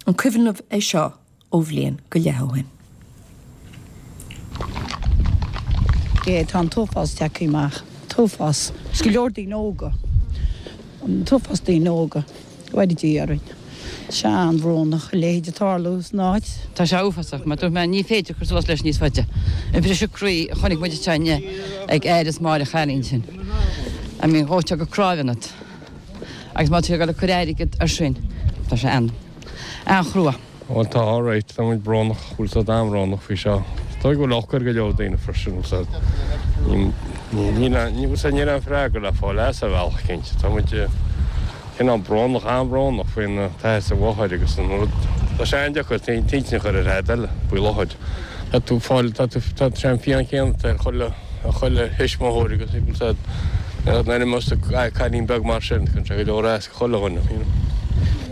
An cuimhin libh é seo ó bhliain go leith ó shin? É, tá an t-uafás tagtha amach. T-uafás. Is go leor daoine óga. An t-uafás daoine óga. Go bhfóire Dia orainn. Tá sé an-bhrónach a leithéid ag tarlú san áit. Tá sé uafásach. Mar dúirt mé, ní féidir cur suas leis níos faide. An briseadh croí a chonaic muid anseo inné ag athair is máthair an chailín sin. I mean, dhóiteá go cnámh ionat. Agus má tá tú ag dul ag cur airgead ar sin, tá sé an-chrua. Bhuel tá alright, tá muid brónach, bhfuil 's a'd an-bhrónach faoi seo. Is dóigh go bhfuil olc ar go leor daoine freisin, bhfuil 's a'd. Níl aon, bhfuil 's a'd, níl aon freagra le fáil as ar bhealach cinnte. Tá muid cineál brónach, an-bhrónach faoin t-athair is an mháthair agus an rud. Tá sé an-deacair t'intinn a chur ar thead eile faoi láthair. Tá tú ag fáil, tá tú, tá sé an phian chéanna ar chuile, ar chuile thuismitheoir agus bhfuil 's a'd, nuair a imeos cailín beag mar sin, cuireann sé go leor as. chuile dhuine, you know.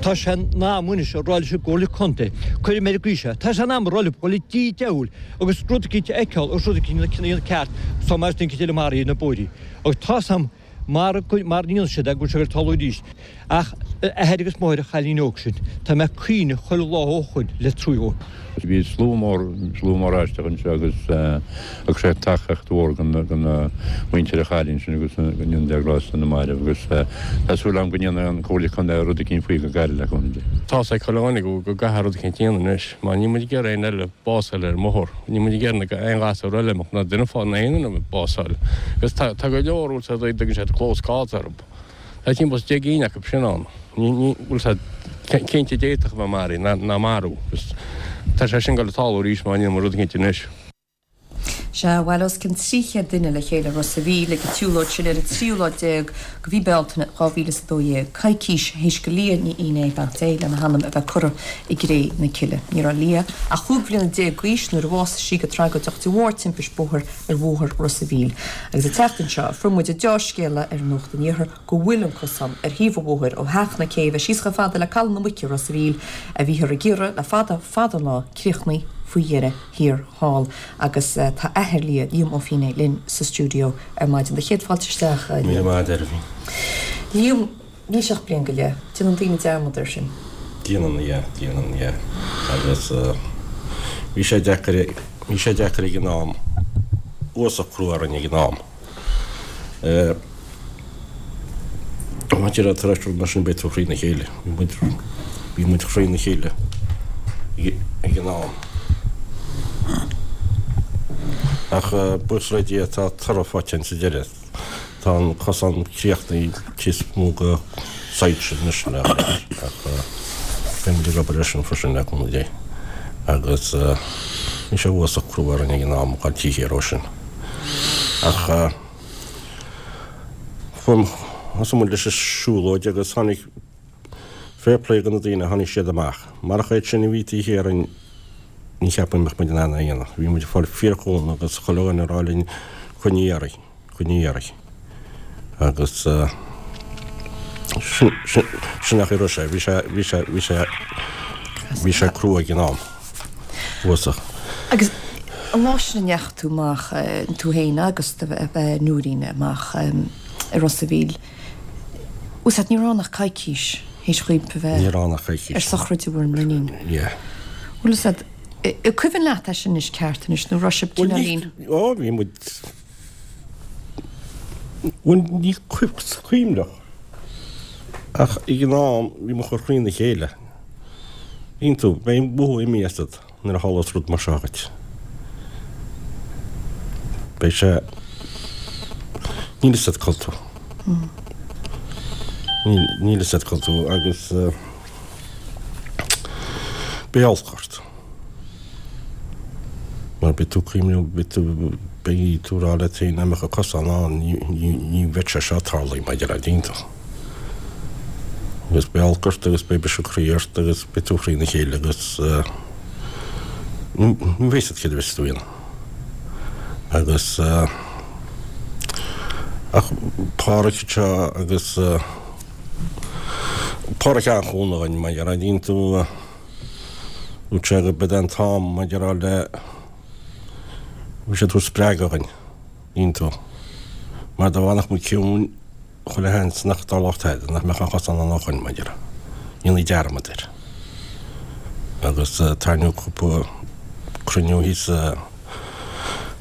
Tá sé in am anois a rá leis an gComhairle Contae, cuirim ar an gcaoi seo, tá sé in am a rá leo dul dtí diabhal agus rud eicínt a fheiceáil agus rud eicínt a dhéanamh ceart so mar is duine eicínt eile maraithe ar na bóithrí agus tá's a'm mara mara ndéanann siad é go bhfuil sé ag tarlú arís ach athair agus máthair an chailín óg sin, tá mé ag caoineadh chuile lá ó shoin le trua dhóibh. Bhí slua mór, slua mór aisteach anseo agus thug sé tacaíocht mhór do mhuintir an chailín sin agus go ndéana Dia grásta na mairbh agus tá súil agam go ndéanfaidh an Comhairle Contae rud eicínt faoi go gairid le cúnamh Dé. Tá's ag chuile dhuine go gcaithfear rud eicínt a dhéanamh anois mar níl muid ag iarraidh aon eile bás a fháil ar an mbóthar, níl muid ag iarraidh aon ghasúr eile imeacht ná duine fá ná aon duine bás a fháil agus tá go leor bhfuil 's a'd a dtugann siad close calls orthu. Tá timpeall is 10 gcinn acu sin ann. Ní bhfuil 's a'd cinnte d'fhéadfadh a bheith maraithe ná marú. Agus tá sé sin ag dul ag tarlú arís má ndéanann muid rud eicínt anois. Sea, bhailigh os cionn 300 duine le chéile i Ros a' Mhíl ag an tsiúlóid sin ar an tríú lá déag de mhí Bealtaine 2012, coicís théis go Liadh Ní Fhinné, beannacht Dé lena hanam, a bheith curtha i gcré na cille. Ní raibh Liadh ach 15 bhliana d'aois nuair a bhásaigh sí go tragóideach de bharr timpist bóthair ar bhóthar Ros a' Mhíl. Agus an tseachtain seo fuair muid an deá-scéala ar Nuacht an Iarthair go bhfuil an cosán ar thaobh an bhóthair ó Theach na Céibhe síos chomh fada le Caladh na Muice i Ros a' Mhíl, a bhíothar ag iarraidh le fada fada an lá, críochnaithe faoi dheireadh thiar thall. Agus tá athair Liadh, Liam Ó Fínné, linn sa stiúideo ar maidin. Do chéad fáilte isteach, a Liam. Míle maith agat, a Aoibhinn. Liam, níl sé ach bliain go leith. Déanann daoine dearmad air sin. Déanann, yeah, déanann, yeah. Agus bhí sé deacair, bhí sé deacair ag an am, uafásach crua orainn ag an am. Maidir le tar éis rud mar sin beidh tú thrína chéile, bhí muid, bhí muid thrína chéile ag an am. Ach buíochas le Dia tá toradh faighte againn sa deireadh. Tá an cosán críochnaithe níos mó go soilse anois le ach beidh muid ag obair air sin freisin le cúnamh Dé. Agus bhí sé uafásach crua orainn ag an am ag gabháil taobh thiar dhó sin. Ach thosaigh muid leis an siúlóid agus tháinig fair play do na daoine, tháinig siad amach. Marach iad sin a bhí taobh thiar dhínn ní cheapaim go mbeadh muid in ann é a dhéanamh. Bhí muid ag fáil fíorchúnamh agus chuile dhuine ag rá linn coinnigh iarraidh, coinnigh iarraidh. Agus sin, sin, sin an chaoi a raibh sé. Bhí sé, bhí sé, bhí sé, bhí sé crua ag an am. Uafásach. Agus an lá sin a ndeachaigh tú amach, tú féin agus do Nóirín amach i Ros a' Mhíl, bhfuil 's a'd, ní raibh ann ach coicís théis dhaoibh a bheith Ní raibh ann ach coicís. ar sochraid bhur n-iníon. Yeah. Bhfuil 's a'd, an cuimhin leat é sin anois ceart anois nó raibh sibh Bhuel ní, cineáilín. ó bhí muid, bhuel ní cuimhneach ach ag an am bhí muid chomh thrína chéile. Bíonn tú, beidh mothú imithe asat. Nuair a tharlós rud mar seo dhuit, beidh sé, níl fhios agat cá bhfuil tú. Níl fhios agat cá bhfuil tú agus beidh olc ort. Mar beidh tú ag cuimhneamh, beidh tú, beidh tú ag rá leat féin, dá mbeadh an cosán ann, ní bheadh sé seo ag tarlú maidir le díonta. Agus beidh olc ort agus beidh briseadh croí ort agus beidh tú thrína chéile agus ní bheidh fhios agat céard a bheas tú a dhéanamh. Agus ach Páraic anseo agus Páraic an-chúnamh againn mar a dhéanann tú dúirt sé go b'é an t-am maidir le bhí sé ag tabhairt spreagadh againn, dhéanann tú. Mar dá bhfanfadh muid ciúin Chuile sheans nach dtarlódh tada, nach mbeadh an chosán ann ó shoin, mar a déarfá. Dhéanfaí dearmad air. Agus tarraingíodh cúpla cruinniú thíos i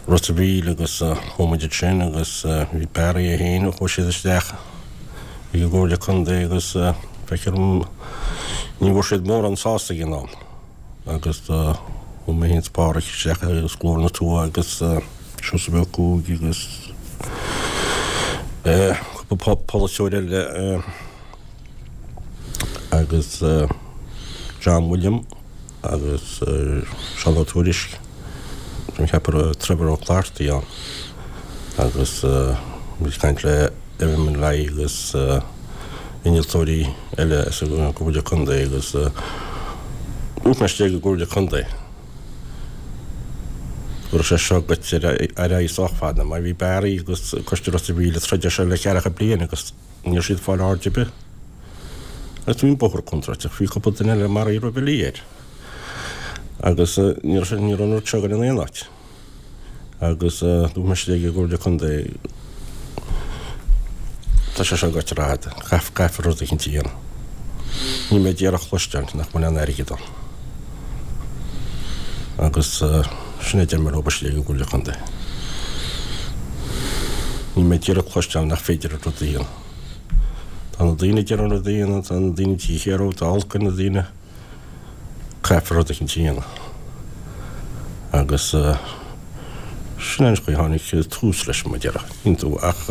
Ros a' Mhíl agus chuaigh muid ansin agus bhí Barry é féin, chuaigh siad isteach ag an gComhairle Contae agus feictear dom ní bhfuair siad mórán sásta ag an am agus chuaigh mé féin is Páraic isteach agus Glór na Tuaithe agus Seosamh Ó Cuaig agus cúpla polaiteoir eile. agus John William agus Seán Ó Tuairisg, tá mé ag ceapadh go raibh Trevor Ó Clártaigh ann agus muid ag caint le MMLI agus innealtóirí eile as an gComhairle Contae agus dúirt mé istigh ag an gComhairle Contae go raibh sé seo ag goil ar aghaidh sách fada mar bhí Barry agus Coiste Ros a' Mhíl ag troid air seo le ceathracha bliain agus Ní raibh siad ag fáil aird ar bith. Agus bhí an bóthar contúirteach, bhí cúpla duine eile maraithe roimhe Leah air. Agus ní raibh ní raibh an rud seo ag goil in aon áit. Agus dúirt mise ag an gComhairle Contae, tá sé seo ag goil rófhada, caithfear rud eicínt a dhéanamh. Níl mé d'iarraidh a chloisteáil nach bhfuil aon airgead ann. Agus sin é a deir mé leo istigh ag an gComhairle Contae. Níl mé d'iarraidh cloisteáil nach féidir an rud a dhéanamh. Tá na daoine a deir an rud a dhéanamh, tá na daoine taobh thiar dhó, tá olc ar na daoine. Caithfear rud eicínt a dhéanamh. Agus sin é an chaoi a tháinig tús leis, mar a déarfá. Iontú, ach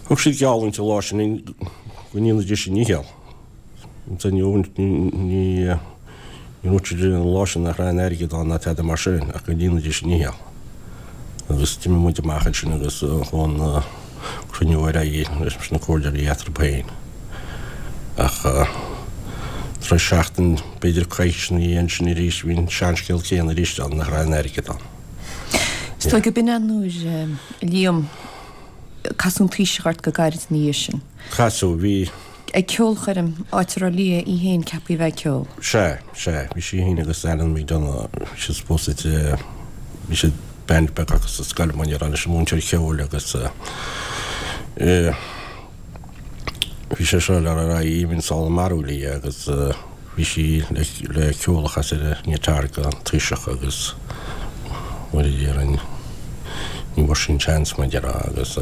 thug siad geallúint an lá sin go ndéanfaidís a ndícheall. Ní dúirt siad an lá sin nach raibh aon airgead ann ná tada mar sin ach go ndéanfaidís a ndícheall. Agus d'imigh muid amach ansin agus chuaigh an cruinniú ar aghaidh leis na comhairleoirí eatarthu féin. Ach tar éis seachtain, b'fhéidir coicís ina dhiaidh ansin arís, bhí an seanscéal céanna arís ann, nach raibh aon airgead ann. Is dóigh go b'in é nuair a Liam, casadh an Taoiseach ort go gairid ina dhiaidh sin. Casadh, bhí. Ag ceolchoirm, áit a raibh Leah í féin ceaptha a bheith ag ceol. Sea, sea. Bhí sí féin agus Alan McDonagh, bhí siad supposed to, bhí siad band beag acu sa scoil, mar a déarfá, leis an múinteoir ceoil agus eh, bhí sé seo le rá i bhí an marú Leah agus bhí sí le, le ceol a chasadh ar an ngiotár don Taoiseach agus mar a déarfainn, ní bhfuair sí an chance mar a déarfá agus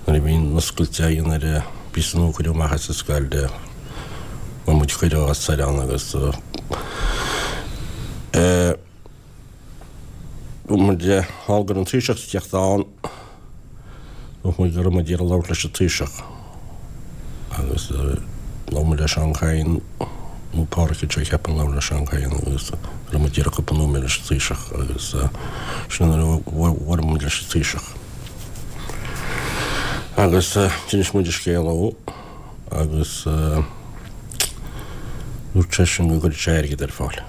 nuair a bhí an oscailt á dhéanamh ar an bpíosa nua a cuireadh amach as an scoil de fuair muid cuireadh as soir ann agus dúirt muid thall go raibh an Taoiseach ag teacht ann, dúirt muid go raibh muid ag iarraidh labhairt leis an Taoiseach agus labhair muid le Seán Kyne nó Páraic anseo ceapaim labhair le Seán Kyne agus go raibh muid ag iarraidh cúpla nóiméad leis an Taoiseach agus sin nuair a bhuail muid leis an Taoiseach. Agus d'inis muid an scéal dó agus dúirt seisean go gcuirfeadh sé airgead ar fáil.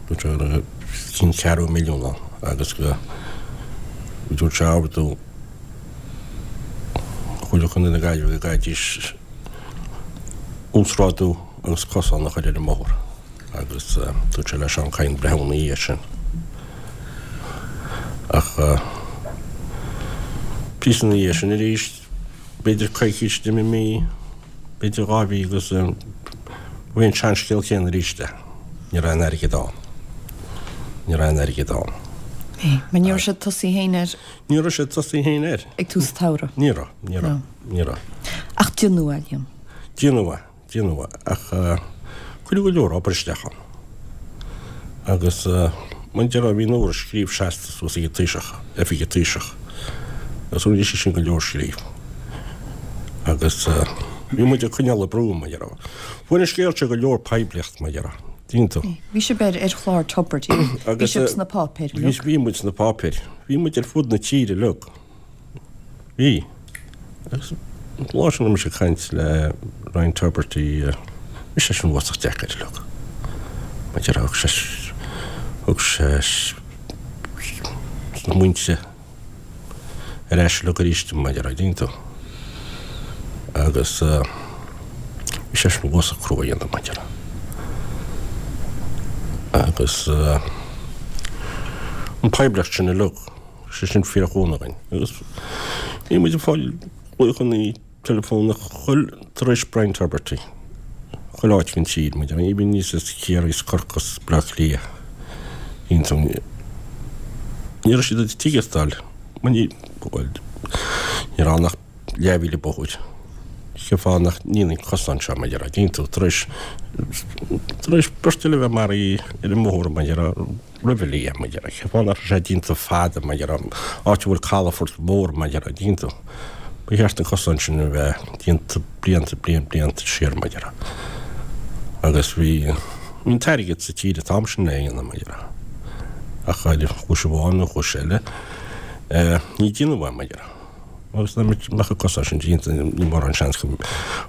Dúirt sé go raibh cinn ceathrú milliún ann agus go dúirt sé ordú Chomhairle Chontae na Gaillimhe go gcaithfidís uasghrádú agus cosán a chur ar an mbóthar agus dúirt sé le Seán Kyne breathnú ina dhiaidh sin. Ach píosa ina dhiaidh sin arís, b'fhéidir coicís, d'imigh mí, b'fhéidir 2 mhí agus bhí an seanscéal céanna arís é. Ní raibh aon airgead ann. Ní raibh aon airgead ann. Mar ní raibh siad tosaithe féin air. Ní raibh siad tosaithe féin air. Ag tús an tsamhraidh. Ní raibh, ní raibh, ní raibh. Ach déanadh é, Liam. Déanadh é. Déanadh é, ach cuireadh go leor obair isteach ann. Agus mar a déarfá, bhí an uair a scríobh seasta suas ag an Taoiseach, oifig an Taoiseach, agus rinne sé sin go leor scríobh. Agus bhí muid ag coinneáil ag brú, mar a déarfá. Fuair an scéal seo go leor poiblíocht, mar a déarfá. Tuigeann tú. Bhí sibh ar ar chlár Tubridy. Bhí sibh sna páipéir uilig. Bhí muid sna páipéir. Bhí muid ar fud na tíre uilig. Bhí. Agus an lá sin raibh mise ag caint le Ryan Tubridy, bhí seisean uafásach deacair uilig. Mar a déarfá, thug sé, thug sé smaointe ar ais uilig arís dom, mar a déarfá, tuigeann tú. Agus bhí seisean uafásach crua a dhéanamh, mar a déarfá. Agus an poiblíocht sin uilig. sé sin fíorchúnamh againn. Agus bhí muid ag fáil glaochanna teileafónach chuile tar éis Brian Tubridy. Chuile áit den tír, mar a déarfá, even aníos as Ciarraí is Corcaigh is Baile Átha Cliath. Ní raibh siad ag tuigeachtáil, ní raibh ann ach leathmhíle bóthair. Cén fáth nach ndéanfaí an cosán seo, mar a déarfá, dtuigeann tú, tar éis, tar éis beirt eile a bheith maraithe ar an mbóthar, mar a déarfá, roimhe Liam, mar a déarfá, cén fáth nach raibh sé déanta fada, mar a déarfá, áit a bhfuil calafort mór, mar a déarfá, dtuigeann tú. Ba cheart an cosán sin a bheith déanta blianta, blianta, blianta siar, mar a déarfá. Agus bhí, bhí an t-airgead sa tír an t-am sin le é a dhéanamh, mar a déarfá. Ach ar chúis amháin nó chúis eile, ní déanadh é, mar a déarfá. Agus dá mbeadh an cosán sin déanta, níl mórán seans go,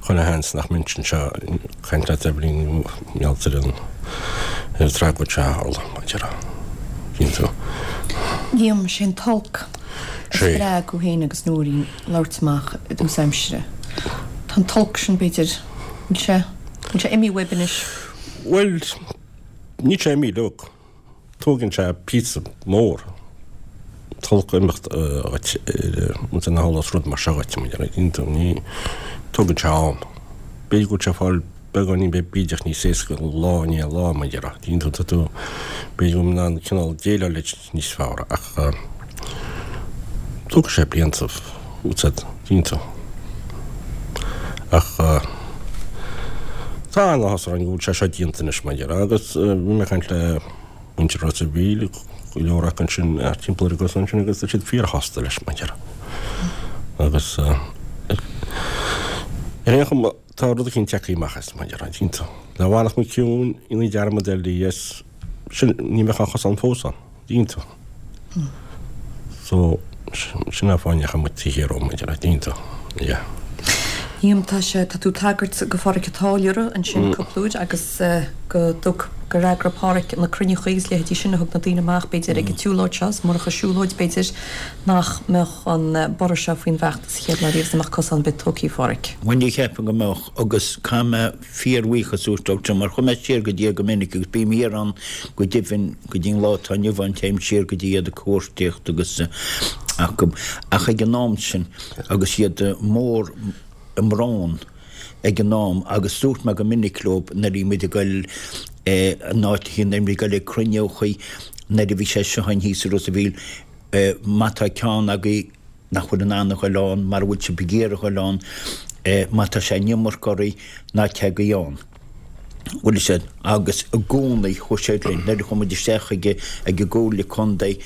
chuile sheans nach mbeinnse anseo ag caint leat Eibhlín mar gheall ar an, ar an tragóid seo a tharla, mar a déarfá. Dtuigeann tú. Liam, sé an t-olc a spreag thú féin agus Nóirín labhairt amach i dtús aimsire. Tá an t-olc sin, b'fhéidir, bhfuil sé, bhfuil sé imithe uaibh anois? Bhuel, níl sé imithe uilig. Tógann sé píosa mór an t-olc a imeacht dhuit nuair a tharlaíos rud mar seo dhuit, mar a dtuigeann tú, ní, tógann sé am. B'fhéidir go bhfuil sé ag fáil beagáinín bídeach níos éasca lá i ndiaidh lá, mar a déarfá, tuigeann tú, tá tú, b'fhéidir go bhfuil in ann cineál déileáil leis níos fearr ach tógfaidh sé blianta, tuigeann tú. Ach tá an-áthas orainn go bhfuil sé seo déanta anois, mar a déarfá, agus bhí mé ag caint le muintir Ros a' Mhíl, go leor acu ansin timpeall ar an gcosán sin agus tá siad fíorshásta leis, mar a déarfá. Agus ar aon chuma, tá rud eicínt tagtha amach as, mar a déarfá, tuigeann tú. Dá bhfanfadh muid ciúin, dhéanfaí dearmad ar Leah, sin, ní bheadh an chosán fós ann, dtuigeann tú. So, sin an fáth a ndeachaigh muid taobh thiar dhó, mar a déarfá, dtuigeann tú. Yeah. Liam, tá sé, tá tú ag tagairt go Phádraic an Táilliúra ansin cúpla uair agus go dtug, gur eagraigh Pádhraic na cruinniúchaí agus leithéidí sin a thug na daoine amach b'fhéidir ag an tsiúlóid seo, is murach an siúlóid b'fhéidir nach mbeadh an borradh seo faoin bhfeachtas a chéad lá riamh is nach mbeadh cosán ar bith tógtha a Phádhraic. Bhuel ní cheapaim go mbeadh agus caithfidh mé fíorbhuíochas a thabhairt dóibh mar chuaigh mé siar go dtí iad go minic agus bím thiar ann go deimhin go dtí an lá atá inniu ann téim siar go dtí iad ag cuartaíocht agus acu ach ag an am sin agus iad mór i mbrón ag an am agus dúirt mé go minic leo nuair a bhí muid ag goil in áit nuair a bhí ag goil ag cruinniúchaí nuair a bhí sé seo ann thíos i Ros a' Mhíl má tá ceann agaibh nach bhfuil in ann a ghoil ann, mara bhfuil sibh ag iarraidh a ghoil ann, má tá sé an iomarca oraibh, ná téigí ann. Bhfuil fhios a'd, agus i gcónaí chuaigh siad linn. Nuair a chuaigh muid isteach ag ag an gComhairle Contae,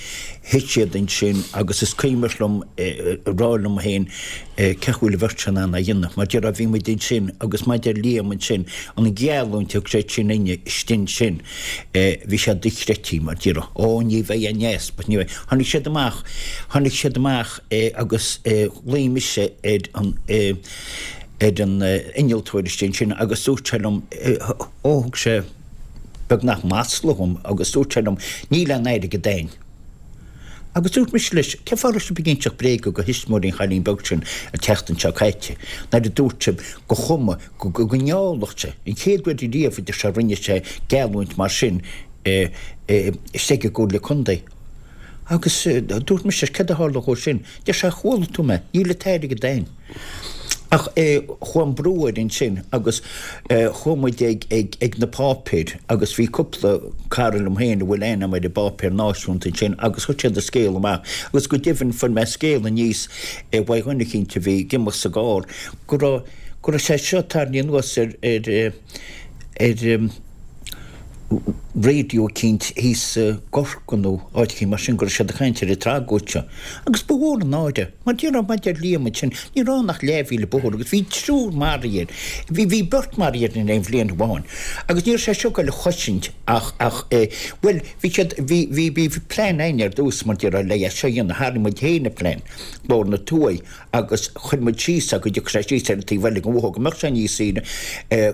thit siad ansin agus is cuimhin liom a rá liom féin, cén chaoi a bhfuil an bheirt seo in ann é a dhéanamh. Mar déarfá, bhí muid ansin agus mar a deir Liam ansin, an gheallúint a thug sé sin inne istigh ansin, bhí sé dochreidte, mar déarfá, ó ní bheidh aon easpa, ní bheidh. Tháinig siad amach, tháinig siad amach agus ghlaoigh mise ar an, ar an innealtóir istigh ansin agus dúirt sé liom, ó thug sé beagnach masla dhom agus dúirt sé liom, níl aon airgead a'inn. Agus dúirt mise leis, cén fáth a raibh sibh ag inseacht bréaga do thuismitheoirí an chailín beag sin an tseachtain seo caite, nuair a dúirt sibh go chuma, go ngeallfadh sé, an chéad uair riamh a deir sé a rinne sé geallúint mar sin istigh i gComhairle Contae. Agus dúirt mise leis, céard a tharla dhó sin? Deir sé, chuala tú mé, níl an t-airgead a'inn. Ach chuaigh an brú air ansin agus chuaigh muid ag, ag, ag na páipéir agus bhí cúpla cara liom féin a bhfuil aithne a'm ar an bpáipéar náisiúnta ansin agus chuir siad an scéal amach agus go deimhin fuair mé scéal aníos uaidh dhuine eicínt a bhí ag imeacht sa gcarr go raibh, go raibh sé seo tarraingthe anuas ar, ar, ar. raidió eicínt thíos i gCorcaigh nó áit eicínt mar sin go raibh siad ag caint ar an tragóid seo. Agus ba mhór an náire. Mar déarfá, mar deir Liam ansin, ní raibh ann ach leathmhíle bóthair agus bhí triúr maraithe air. Bhí, bhí beirt maraithe air in aon bhliain amháin. Agus ní raibh sé seo ag goil a chosaint ach, ach eh, bhuel, bhí siad, bhí, bhí, bhí plean againn ar dtús mar déarfá le é seo a dhéanamh. Tharraing muid féin an plean, Bóthar na Tuaithe. agus chuir muid síos é go dtiocfadh sé síos ar an taobh eile den bhóthar go mbeadh sé níos saoire.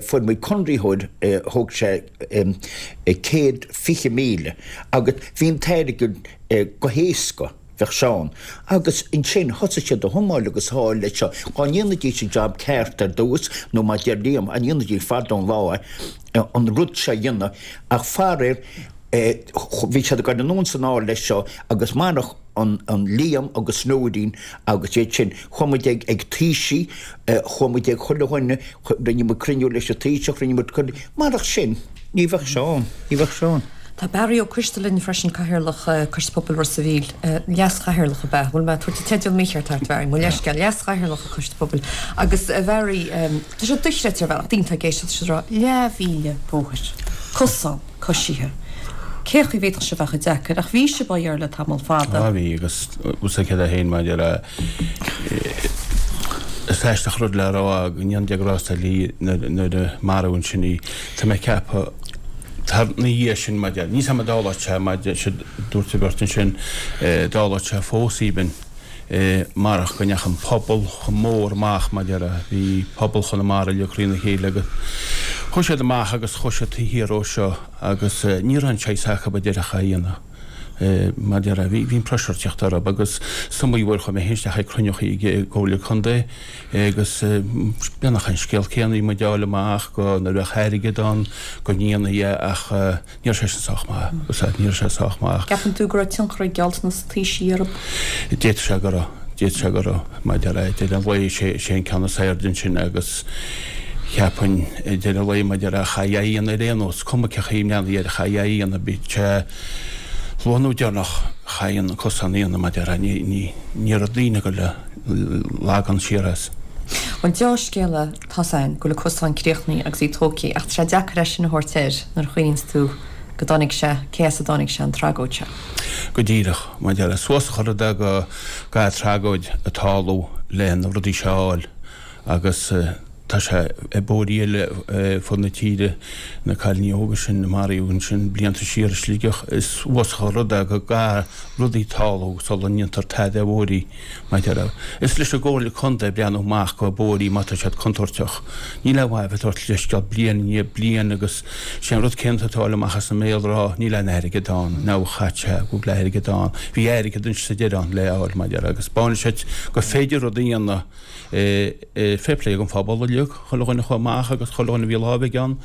Fuair muid conraitheoir, thóg sé 120,000 agus bhí an t-airgead go héasca, bheadh sé ann. Agus ansin thosaigh siad a thiomáil agus a fháil leis seo. Dhá ndéanfaidís an jab ceart ar dtús, nó mar deir Liam, dá ndéanfaidís fada ón lá é, an rud seo a dhéanamh, ach faraor, bhí siad ag dul anonn is anall leis seo agus marach. an Liam agus Nóirín agus iad sin, chuaigh muid ag ag taoisigh, chuaigh muid ag chuile dhuine, rinne muid cruinniú leis an Taoiseach, rinne muid cruinniú, marach sin, ní bheadh seo ann, ní bheadh seo ann. Tá Barry Ó Coistealbha linn freisin, Cathaoirleach Coiste Pobail Ros a' Mhíl. Leas-Chathaoirleach ab ea? Bhfuil mé ag tabhairt an teideal mícheart ort, Bharry? Mo leithscéal, Leas-Chathaoirleach an Choiste Pobail. Agus, a Bharry, tá sé dochreidte ar bhealach, daoine atá ag éisteacht, siad ag rá, leathmhíle bóthair, cosán, coisithe. Cé chaoi a bhféadfadh sé a bheith chomh deacair? Ach bhí sibh á iarraidh le tamall fada. Á bhí, agus bhfuil a fhios agat féin maidir le, is aisteach rud le rá go ndéanfaí grásta léi nuair a maraíodh ansin í. Tá mé ag ceapadh, tar ina dhiaidh sin maidir, níl 's a'm an dtarlódh sé maidir, siad, dúirt an bheirt ansin, dtarlódh sé fós even. marach go ndeachaigh an pobal chomh mór amach maidir le, bhí pobal Chonamara uilig thrína chéile agus chuaigh siad amach agus chuaigh siad taobh thiar ó seo agus ní raibh an saghas acu a déarfadh a dhéanamh maidir le, bhí an pressure ag teacht orthu agus is iomaí uair chuaigh mé féin isteach ag cruinniúchaí ag an gComhairle Contae agus beagnach an scéal céanna bhí muid a fháil amach go nuair a bheadh airgead ann go ndéanfaí é ach Ní raibh sé sin sách maith. Úsáid, ní raibh sé sách maith. Ceapann tú go raibh tionchar ag gealltanas an Taoisigh orthu? D'fhéadfadh sé go raibh. D'fhéadfadh sé go raibh. Maidir le deireadh an lae, sé, sé an ceann is airde ansin agus cheapfainn ag deireadh an lae maidir le chaithfí é a dhéanamh ar aon nós, cuma cé chaoi a mbreathnaíonn air, chaithfí é a dhéanamh, bíodh sé luath nó deireanach, chaithfí an cosán a dhéanamh maidir le, ní, ní, ní raibh daoine ag dul le lagan siar as. An deá-scéala Tá's a'inn go bhfuil an cosán críochnaithe agus í tógtha ach tá sé deacair é sin a thabhairt air nuair a chuimhníonns tú go dtáinig sé, cé as a dtáinig sé, an tragóid seo. Go díreach. Maidir le suas a chur i dtaobh go gcaithfidh tragóid a tarlú le na rudaí seo a fháil agus tá sé i bóithrí eile fud na tíre, na cailíní óga sin a maraíodh ansin blianta siar i Sligeach, is uafásach an rud é go gcaithfidh rudaí tarlú sula ndéantar tada ar bhóithrí. Maidir le, is leis an gComhairle Contae breathnú amach go bóithrí má tá siad contúirteach. Níl aon mhaith a bheith ag tabhairt leithscéal bliain i ndiaidh bliain agus sé an rud céanna atá ag fáil amach as an mbéal rá níl aon airgead ann, now chaith sé go bhfuil airgead ann. Bhí airgead ansin sa deireadh ann le fháil maidir agus b'áin leis gur féidir rud a dhéanamh Fair play don phobal uilig, chuile dhuine a chuaigh amach agus chuile dhuine a bhí lámh aige ann,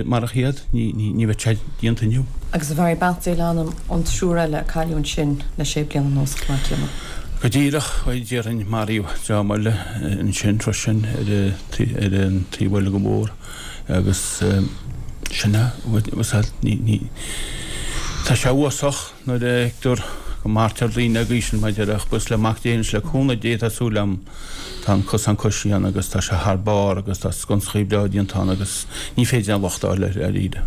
marach iad ní bheadh sé déanta inniu. Agus a Bharry, beannacht Dé le anam an triúr eile a cailleadh ansin le sé bliana anuas chomh maith céanna. Go díreach, bhuel déarfainn maraíodh dream eile ansin freisin ar an taobh eile den bhóthar agus sin é, ní, tá sé uafásach nuair a fheictear go maraítear daoine ag aois an maidir ach buíochas le Mac Dé agus le cúnamh Dé tá súil agam tá an cosán coisithe ann agus tá sé thar barr agus tá sconsachaí breá déanta ann agus ní féidir aon locht a fháil air dáiríre.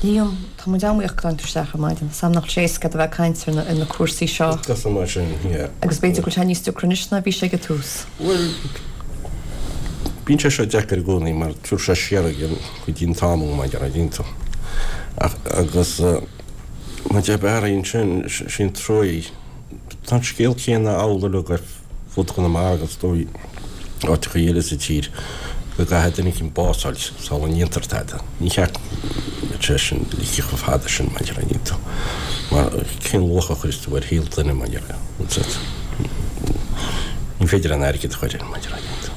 Liam, tá muid an-bhuíoch go dtáinig tú isteach ar maidin. Is am nach bhfuil sé éasca a bheith ag caint ar na cúrsaí seo. Is mar sin, yeah. Agus b'fhéidir go bhfuil sé níos deacra anois ná bhí sé ag an tús. Bhuel, bíonn sé seo deacair i gcónaí mar tabharfaidh sé siar ag an go dtí an t-am ó maidir le dínn tú. Ach agus maidir le Barry ansin, sin truaí. Tá an scéal céanna amhlaidh uilig ar fud Chonamara agus is dóigh áiteachaí eile sa tír go gcaithfidh duine éicint bás a fháilt sula ndéantar tada. Ní cheart go mbeadh sé sin ligthe chomh fada sin maidir le dínn tú. Mar cén luach a chuireas tú ar shaol duine maidir le Ní féidir an airgead a chur air maidir le dínn tú.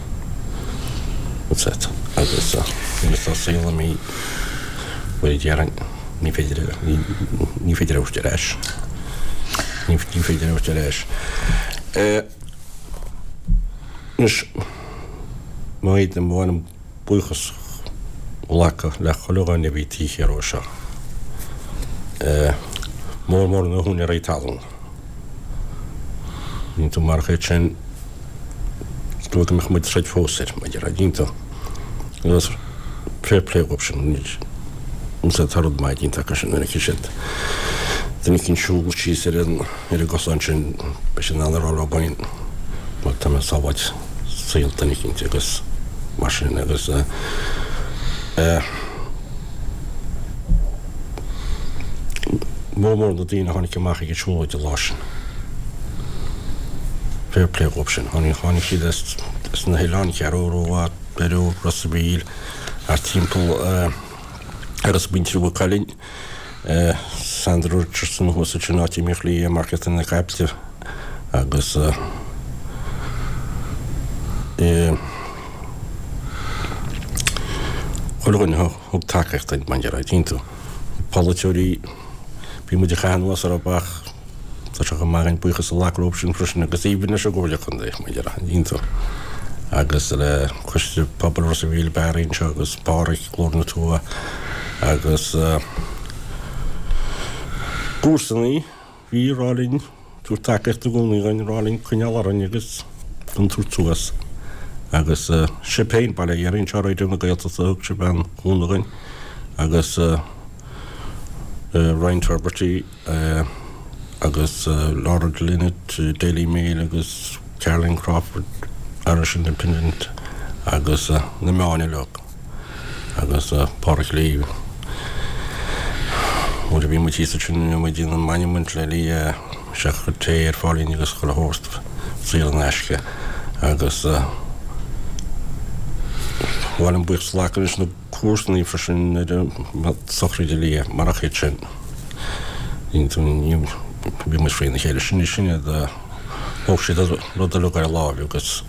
Agus nuair atá saol imithe, bhuel, déarfainn, ní féidir, ní féidir a thabhairt ar ais. Ní féidir a thabhairt ar ais. Anois, má fhéadaim, ba mhaith liom buíochas a ghlacadh le chuile dhuine a bhí taobh thiar ó seo. Mór mór na húinéirí talún. Dínn tú marach iad sin, is dóigh go mbeadh muid ag troid fós air, maidir le dínn tú. Agus fair play dhóibh sin, níl tá rud maith déanta acu sin, nuair a fheicfidh siad duine éicint siúl síos ar an ar an gcosán sin, beidh siad in ann a rá leo féin, bhuel, tá mé ag sábháilt saol duine éicint agus mar sin agus eh. Mór mór na daoine a tháinig amach ag an siúlóid an lá sin. Fair play dhóibh sin. Tháinig, tháinig siad as, as na hoileáin, Ceathrú Rua, Doire, Ros a' Mhíl, thart timpeall agus muintir Mhaigh Cuilinn, Sandra Richardson thuas ansin áit a mbíodh Lee ag marcaíocht na caiple agus eh, chuile dhuine a thug tacaíocht duinn, maidir le dínn tú. Polaiteoirí, bhí muid ag caitheamh anuas orthu ach. Tá sé chomh maith againn buíochas a ghlacadh leo sin freisin agus even leis an gComhairle Contae, mar a déarfá. Agus le Coiste Pobail Ros a' Mhíl, Barry anseo agus Páraic, Glór na Tuaithe agus comharsanaí. Bhí ag rá linn, tabhairt tacaíocht i gcónaí dhúinn, ag rá linn coinneáil orainn agus gan tabhairt suas. Agus sibh féin, bail ó Dhia oraibh anseo Raidió na Gaeltachta, thug sibh an-chúnamh dhúinn agus Ryan Tubridy agus Laura Lynott, Daily Mail agus Caroline Crawford, Irish Independent agus na meáin uilig. agus Pádraic Lee. Nuair a bhí muid thíos ansin bhí muid ag déanamh monument le Lee sé a chuir tae ar fáil dúinn agus chuile shórt saor in aisce agus ba mhaith liom buíochas a ghlacadh leis na comharsanaí freisin ar an sochraid Lee marach iad sin bhí muid frína chéile sin sin iad Thóg siad an rud uilig ar a láimh agus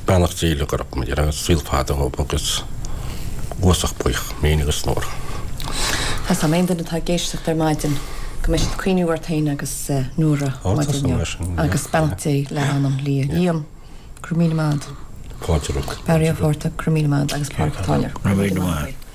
beannacht Dé uilig orthu, mar a déarfá, saol fada dhóibh agus uasach buíoch, mé féin agus Nóra. Tá 's agam aon duine atá ag éisteacht ar maidin go mbeidh siad ag cuimhniú ort féin agus Nóra maidin inniu agus beannacht Dé le anam Lia. Liam, go raibh míle maith agat. Fáilte romhat. Barry Ó Fátharta, go raibh míle maith agat agus Pádraic Ó Táilliúir, go raibh míle maith agat.